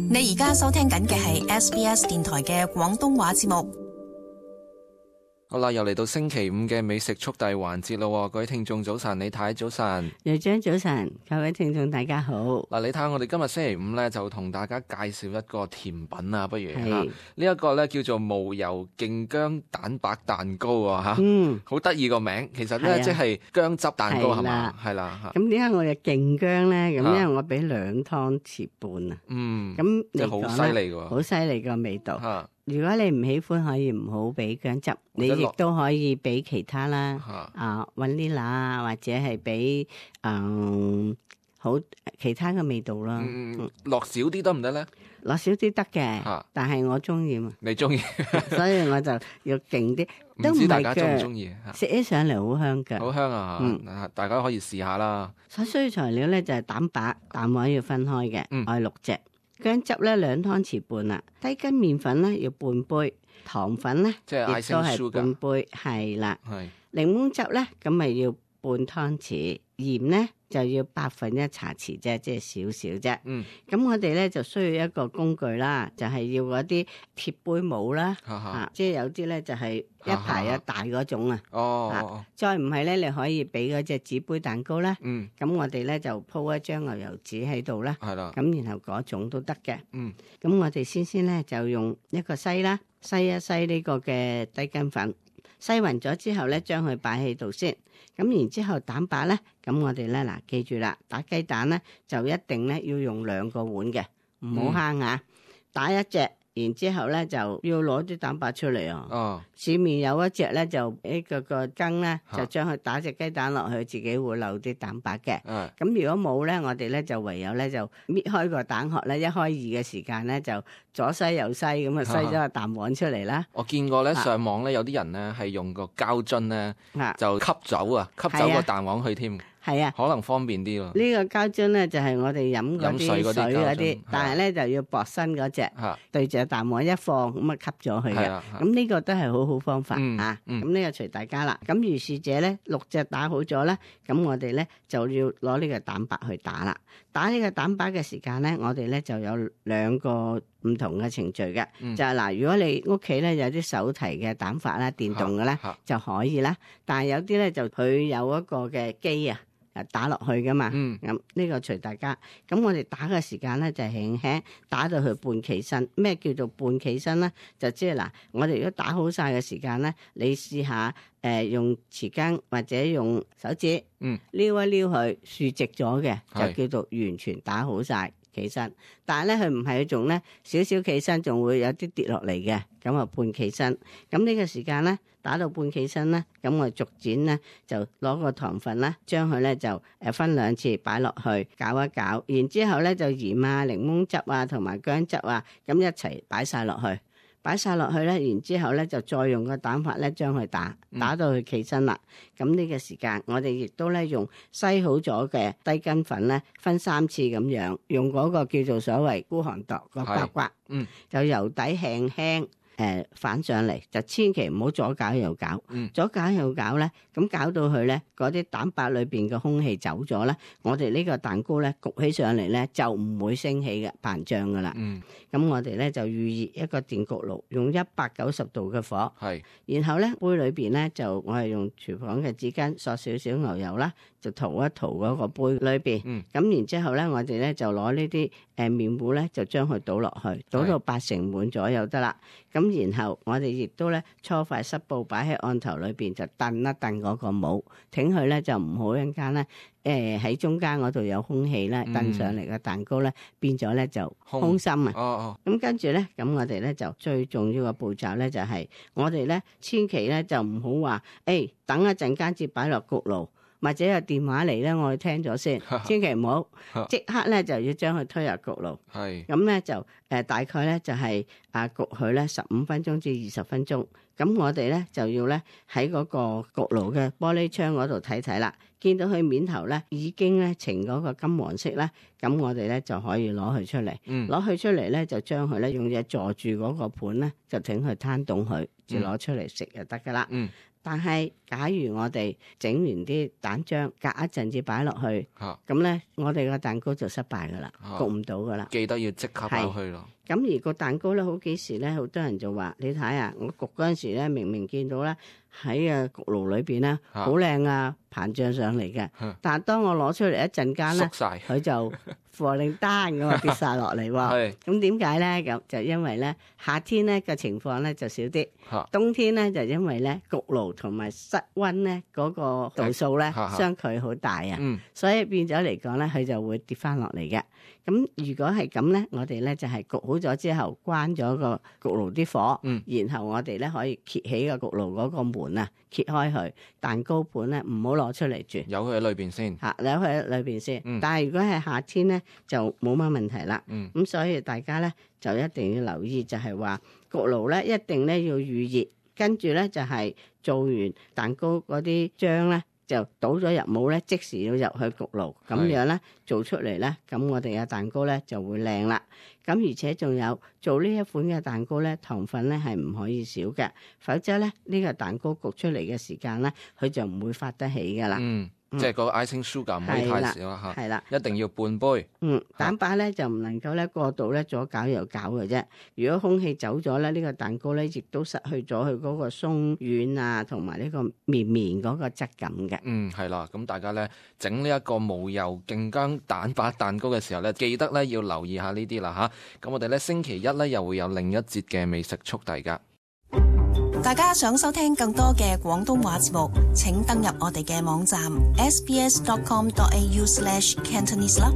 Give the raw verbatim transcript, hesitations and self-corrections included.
你而家收聽緊嘅係 S B S 電台嘅廣東話節目。好啦，又嚟到星期五嘅美食速遞環節咯，各位聽眾早晨，李太早晨，瑞章早晨，各位聽眾大家好。嗱，你睇下我哋今日星期五咧，就同大家介紹一個甜品啊，不如吓呢一個咧叫做無油勁薑蛋白蛋糕啊，吓，嗯，好得意個名，其實咧、啊、即係薑汁蛋糕係嘛，係啦吓。咁點解我嘅勁薑咧？咁因為我俾兩湯匙半啊，嗯，咁即係好犀利噶，好犀利個味道。啊，如果你唔喜歡，可以唔好俾薑汁，你亦都可以俾其他啦，啊，雲呢拿啊，或者係俾嗯好其他嘅味道啦。嗯，落少啲得唔得咧？落少啲得嘅，但係我中意嘛。你中意，所以我就要勁啲。唔知大家中唔中意？食起上嚟好香㗎，好香啊！嗯，大家可以試下啦。所需要材料咧就係蛋白、蛋黃要分開嘅，我係六隻。薑汁咧兩湯匙半啦，低筋麵粉咧要半杯，糖粉咧亦都係半杯，係啦。係檸檬汁咧咁咪要半湯匙，鹽咧就要百分一茶匙啫，即係少少啫。嗯，咁我哋咧就需要一個工具啦，就係、是、要嗰啲鐵杯模啦，哈哈啊，即係有啲咧就係一排一大嗰種啊。哦，啊、再唔係咧，你可以俾嗰隻紙杯蛋糕啦。嗯，咁我哋咧就鋪一張牛油紙喺度啦。係啦，咁然後嗰種都得嘅。嗯，咁我哋先先咧就用一個篩啦，篩一篩呢個嘅低筋粉。篩勻咗之後咧，將佢擺喺度先。咁然之後蛋白咧，咁我哋咧嗱，記住啦，打雞蛋咧就一定咧要用兩個碗嘅，唔好慳啊！打一隻，然之後咧就要攞啲蛋白出嚟啊！哦，市面有一隻咧就呢個個羹咧，就將佢打隻雞蛋落去，自己會漏啲蛋白嘅。嗯，咁如果冇咧，我哋咧就唯有咧就搣開個蛋殼咧，一開二嘅時間咧就左篩右篩咁啊，篩咗個蛋黃出嚟啦。我見過咧上網咧有啲人咧係用個膠樽咧就吸走啊，吸走個蛋黃去添。係啊，可能方便啲咯。呢個膠樽咧就係、是、我哋飲嗰啲水嗰啲，但係咧就要薄身嗰隻，對住蛋黃一放咁啊吸咗佢嘅。咁呢個都係好好方法、嗯、啊。咁呢個隨大家啦。咁如是者咧六隻打好咗咧，咁我哋咧就要攞呢個蛋白去打啦。打呢個蛋白嘅時間咧，我哋咧就有兩個唔同嘅程序嘅，嗯、就係嗱，如果你屋企咧有啲手提嘅蛋發啦，電動嘅咧就可以啦。但係有啲咧就佢有一個嘅機啊。打落去噶嘛，咁呢、嗯、個隨大家。咁我哋打嘅時間咧就輕輕打到佢半企身。咩叫做半企身咧？就即係嗱，我哋如果打好晒嘅時間咧，你試下誒、呃、用匙羹或者用手指、嗯、撩一撩佢豎直咗嘅，就叫做完全打好晒企身。但係咧佢唔係，佢仲咧少少企身，仲會有啲跌落嚟嘅，咁啊半企身。咁呢個時間咧打到半企身咧，咁我逐漸咧就攞個糖分啦，將佢咧就誒分兩次擺落去攪一攪，然之後咧就鹽啊、檸檬汁啊同埋薑汁啊，咁一齊擺晒落去。擺晒落去咧，然之後咧就再用個蛋法咧將佢打打到佢企身啦。咁呢、嗯、個時間我哋亦都咧用篩好咗嘅低筋粉咧分三次咁樣，用嗰個叫做所謂孤寒度個刮刮，嗯，就由底輕輕。誒、呃、反上嚟就千祈唔好左攪右攪，嗯、左攪右攪咧，咁攪到佢咧，嗰啲蛋白裏邊嘅空氣走咗咧，我哋呢個蛋糕咧焗起上嚟咧就唔會升起嘅膨脹噶啦。咁、嗯、我哋咧就預熱一個電焗爐，用一百九十度嘅火，是然後咧杯裏邊咧就我係用廚房嘅紙巾索少少牛油啦，就塗一塗嗰個杯裏邊。咁、嗯、然之後咧，我哋咧就攞呢啲誒麵糊咧，就將佢倒落去，倒到八成滿左右得啦。咁然後我哋亦都咧搓塊濕布擺喺案頭裏邊，就燉一燉嗰個模，挺佢咧就唔好一陣間咧誒喺中間嗰度有空氣咧燉上嚟嘅蛋糕咧變咗咧就空心啊！哦哦，咁跟住咧，咁我哋咧就最重要嘅步驟咧就係、是、我哋咧千祈咧就唔好話誒等一陣間至擺落焗爐。或者有電話嚟咧，我哋聽咗先，千祈唔好即刻咧就要將佢推入焗爐。係咁咧就誒、呃、大概咧就係、是、啊焗佢咧十五分鐘至二十分鐘。咁我哋咧就要咧喺嗰個焗爐嘅玻璃窗嗰度睇睇啦，見到佢面頭咧已經咧呈嗰個金黃色咧，咁我哋咧就可以攞佢出嚟。嗯，攞佢出嚟咧就將佢咧用嘢坐住嗰個盤咧，就整佢攤凍佢，就攞出嚟食就得噶啦。嗯，但係假如我哋整完啲蛋漿，隔一陣至擺落去，咁咧、啊、我哋個蛋糕就失敗噶啦，啊、焗唔到噶啦。記得要即刻擺落去咯。咁而個蛋糕咧，好幾時咧，好多人就話：你睇下，我焗嗰陣時咧，明明見到咧喺啊焗爐裏邊咧好靚啊，膨脹上嚟嘅。啊、但係當我攞出嚟一陣間咧，佢就貨令單咁啊跌晒落嚟喎。咁點解咧？咁就因為咧夏天咧嘅情況咧就少啲，啊、冬天咧就因為咧焗爐同埋室溫咧嗰個度數咧相距好大啊，嗯、所以變咗嚟講咧，佢就會跌翻落嚟嘅。咁如果係咁咧，我哋咧就係焗好咗之後，關咗個焗爐啲火，嗯、然後我哋咧可以揭起個焗爐嗰個門啊，揭開佢，蛋糕盤咧唔好攞出嚟住，有佢喺裏邊先嚇，有佢喺裏邊先。嗯、但係如果係夏天咧，就冇乜問題啦。咁、嗯、所以大家咧就一定要留意，就係話焗爐咧一定咧要預熱，跟住咧就係做完蛋糕嗰啲漿咧，就倒咗入模咧，即時要入去焗爐，咁樣咧做出嚟咧，咁我哋嘅蛋糕咧就會靚啦。咁而且仲有做呢一款嘅蛋糕咧，糖分咧係唔可以少嘅，否則咧呢個蛋糕焗出嚟嘅時間咧，佢就唔會發得起噶啦。嗯即係個 icing sugar 唔可以太少啦嚇，係啦，一定要半杯。嗯，蛋白咧就唔能夠咧過度咧左攪右攪嘅啫。如果空氣走咗咧，呢個蛋糕咧亦都失去咗佢嗰個鬆軟啊，同埋呢個綿綿嗰個質感嘅。嗯，係啦，咁大家咧整呢一個無油勁薑蛋白蛋糕嘅時候咧，記得咧要留意下呢啲啦嚇。咁我哋咧星期一咧又會有另一節嘅美食速遞㗎。大家想收聽更多嘅廣東話節目，請登入我哋嘅網站 s b s dot com dot a u slash cantonese 啦。